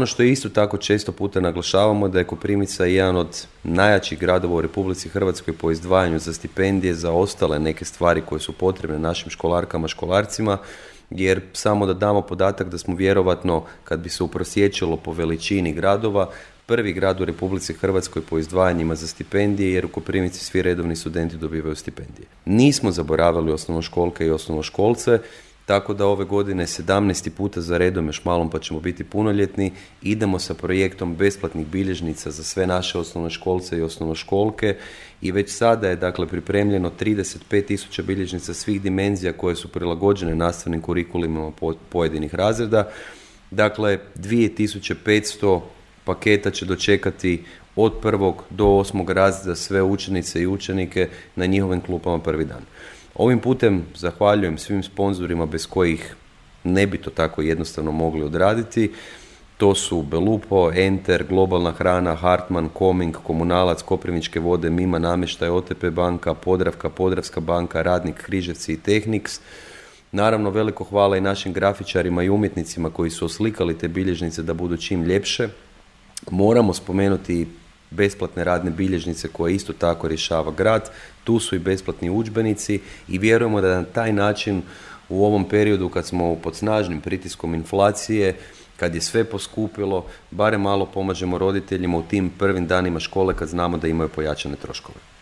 ono što isto tako često puta naglašavamo da je Koprivnica jedan od najjačih gradova u Republici Hrvatskoj po izdvajanju za stipendije, za ostale neke stvari koje su potrebne našim školarkama, školarcima, jer samo da damo podatak da smo vjerovatno, kad bi se uprosječilo po veličini gradova, prvi grad u Republici Hrvatskoj po izdvajanjima za stipendije, jer u Koprivnici svi redovni studenti dobivaju stipendije. Nismo zaboravili osnovnoškolke i osnovnoškolce, tako da ove godine 17. puta za redom, još malom pa ćemo biti punoljetni, idemo sa projektom besplatnih bilježnica za sve naše osnovnoškolce i osnovnoškolke i već sada je dakle pripremljeno 35.000 bilježnica svih dimenzija koje su prilagođene nastavnim kurikulima pojedinih razreda. Dakle, 2500 paketa će dočekati od 1. do 8. razreda sve učenice i učenike na njihovim klupama prvi dan. Ovim putem zahvaljujem svim sponzorima bez kojih ne bi to tako jednostavno mogli odraditi. To su Belupo, Enter, Globalna hrana, Hartman, Koming, Komunalac, Koprivničke vode, Mima namještaj, OTP banka, Podravka, Podravska banka, Radnik, Križevci i Tehnix. Naravno, veliko hvala i našim grafičarima i umjetnicima koji su oslikali te bilježnice da budu čim ljepše. Moramo spomenuti besplatne radne bilježnice koje isto tako rješava grad, tu su i besplatni udžbenici i vjerujemo da na taj način u ovom periodu kad smo pod snažnim pritiskom inflacije, kad je sve poskupilo, barem malo pomažemo roditeljima u tim prvim danima škole kad znamo da imaju pojačane troškove.